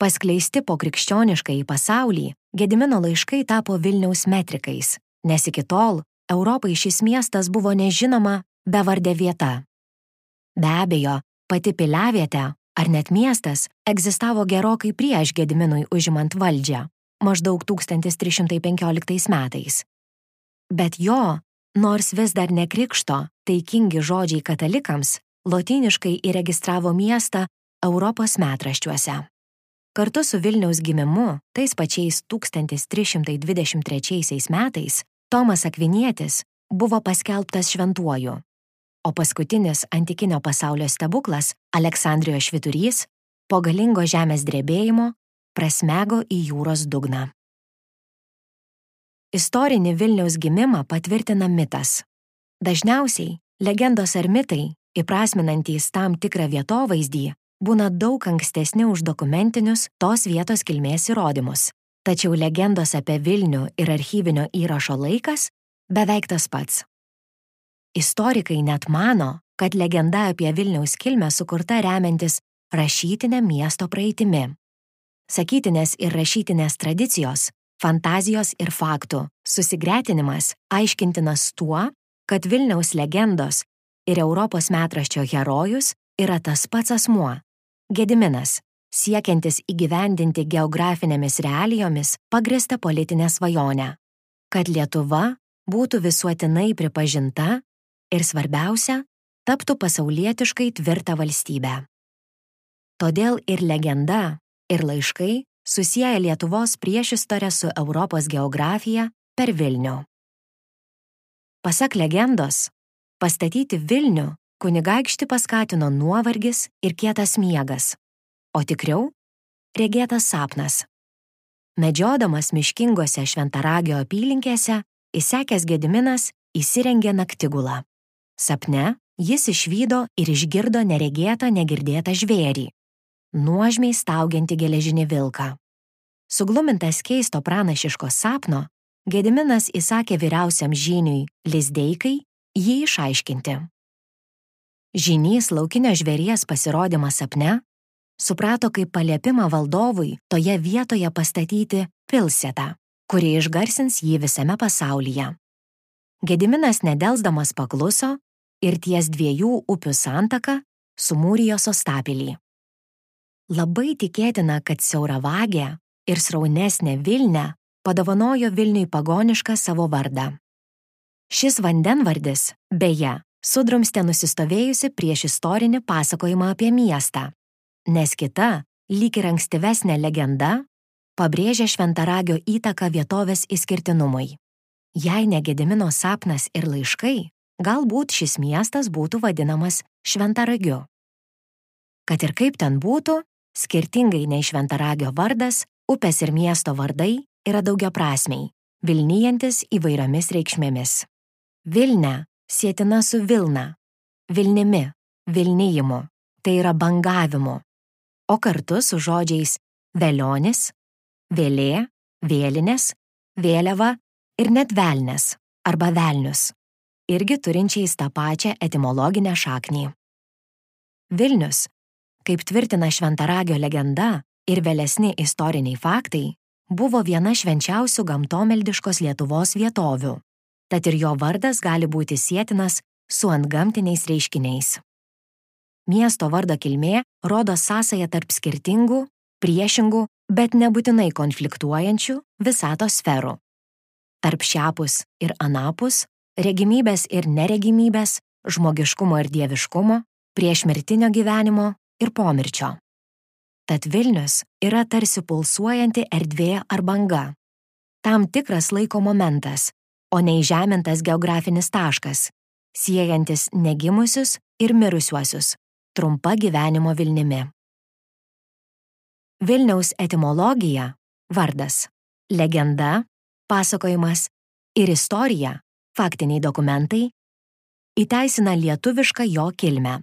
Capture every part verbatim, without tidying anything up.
Paskleisti po krikščionišką į pasaulį, Gedimino laiškai tapo Vilniaus metrikais, nes iki tol Europai šis miestas buvo nežinoma bevardė vieta. Be abejo, pati piliavietė, ar net miestas, egzistavo gerokai prieš Gediminui užimant valdžią, maždaug tūkstantis trys šimtai penkioliktais metais. Bet jo, nors vis dar ne krikšto, taikingi žodžiai katalikams, lotyniškai įregistravo miestą Europos metraščiuose. Kartu su Vilniaus gimimu, tais pačiais tūkstantis trys šimtai dvidešimt trečiaisiais metais, Tomas Akvinietis buvo paskelbtas šventuoju, o paskutinis antikinio pasaulio stebuklas, Aleksandrijos švyturys, po galingo žemės drebėjimo prasmego į jūros dugną. Istorinį Vilniaus gimimą patvirtina mitas. Dažniausiai legendos ar mitai, įprasminantys tam tikrą vietovaizdį, būna daug ankstesni už dokumentinius tos vietos kilmės įrodymus. Tačiau legendos apie Vilnių ir archyvinio įrašo laikas beveik tas pats. Istorikai net mano, kad legenda apie Vilniaus kilmę sukurta remiantis rašytinę miesto praeitimi. Sakytinės ir rašytinės tradicijos, fantazijos ir faktų susigretinimas aiškintinas tuo, kad Vilniaus legendos ir Europos metraščio herojus yra tas pats asmuo – Gediminas, siekiantis įgyvendinti geografinėmis realijomis pagrįstą politinę svajonę, kad Lietuva būtų visuotinai pripažinta ir svarbiausia, taptų pasaulietiškai tvirtą valstybę. Todėl ir legenda, ir laiškai susieja Lietuvos priešistorę su Europos geografija per Vilnių. Pasak legendos, pastatyti Vilnių kunigaikštį paskatino nuovargis ir kietas miegas, o tikriau – regėtas sapnas. Medžiodamas miškingose Šventaragio apylinkėse, įsekęs Gediminas įsirengė naktigulą. Sapne jis išvydo ir išgirdo neregėtą negirdėtą žvėrį, nuožmiai staugiantį geležinį vilką. Suglumintas keisto pranašiško sapno, Gediminas įsakė vyriausiam žyniui Lizdeikai jį išaiškinti. Žynys laukinio žvėries pasirodymą sapne suprato kaip paliepimą valdovui toje vietoje pastatyti pilsėtą, kuri išgarsins jį visame pasaulyje. Gediminas nedelsdamas pakluso ir ties dviejų upių santaka sumūrijo sostapilį. Labai tikėtina, kad siauravagė ir sraunesnė Vilnia padovanojo Vilniui pagonišką savo vardą. Šis vandenvardis, beje, sudrumstė nusistovėjusi prieš istorinį pasakojimą apie miestą, nes kita, lyg ir ankstyvesnė legenda, pabrėžia Šventaragio įtaką vietovės išskirtinumui. Jei ne Gedimino sapnas ir laiškai, galbūt šis miestas būtų vadinamas Šventaragiu. Kad ir kaip ten būtų, skirtingai nei Šventaragio vardas, upės ir miesto vardai yra daugiaprasmiai, vilnijantis įvairiomis reikšmėmis. Vilnia sietina su Vilna, Vilnimi, Vilnijimu, tai yra bangavimu, o kartu su žodžiais velionis, vėlė, vėlinės, vėliava ir net velnes arba velnius, irgi turinčiais tą pačią etimologinę šaknį. Vilnius, kaip tvirtina Šventaragio legenda ir vėlesni istoriniai faktai, buvo viena švenčiausių gamtomeldiškos Lietuvos vietovių. Tad ir jo vardas gali būti sietinas su antgamtiniais reiškiniais. Miesto vardo kilmė rodo sąsają tarp skirtingų, priešingų, bet nebūtinai konfliktuojančių visatos sferų. Tarp šiapus ir anapus, regimybės ir neregimybės, žmogiškumo ir dieviškumo, priešmirtinio gyvenimo ir pomirčio. Tad Vilnius yra tarsi pulsuojanti erdvė ar banga. Tam tikras laiko momentas, o neįžemintas geografinis taškas, siejantis negimusius ir mirusiuosius, trumpa gyvenimo Vilnimi. Vilniaus etimologija, vardas, legenda, pasakojimas ir istorija, faktiniai dokumentai, įteisina lietuvišką jo kilmę.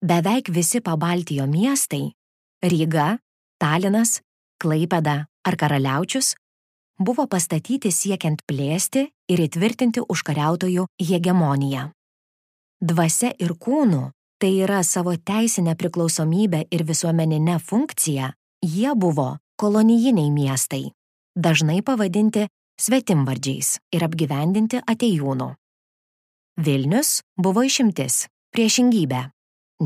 Beveik visi Pabaltijo miestai – Ryga, Talinas, Klaipėda ar Karaliaučius – buvo pastatyti siekiant plėsti ir įtvirtinti užkariautojų hegemoniją. Dvasia ir kūnu, tai yra savo teisinę priklausomybę ir visuomeninę funkciją, Jie buvo kolonijiniai miestai, dažnai pavadinti svetimvardžiais ir apgyvendinti atėjūnų. Vilnius buvo išimtis, priešingybė,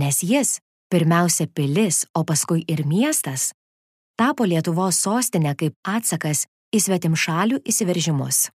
nes jis, pirmiausia pilis, o paskui ir miestas, tapo Lietuvos sostinė kaip atsakas į svetimšalių įsiveržimus.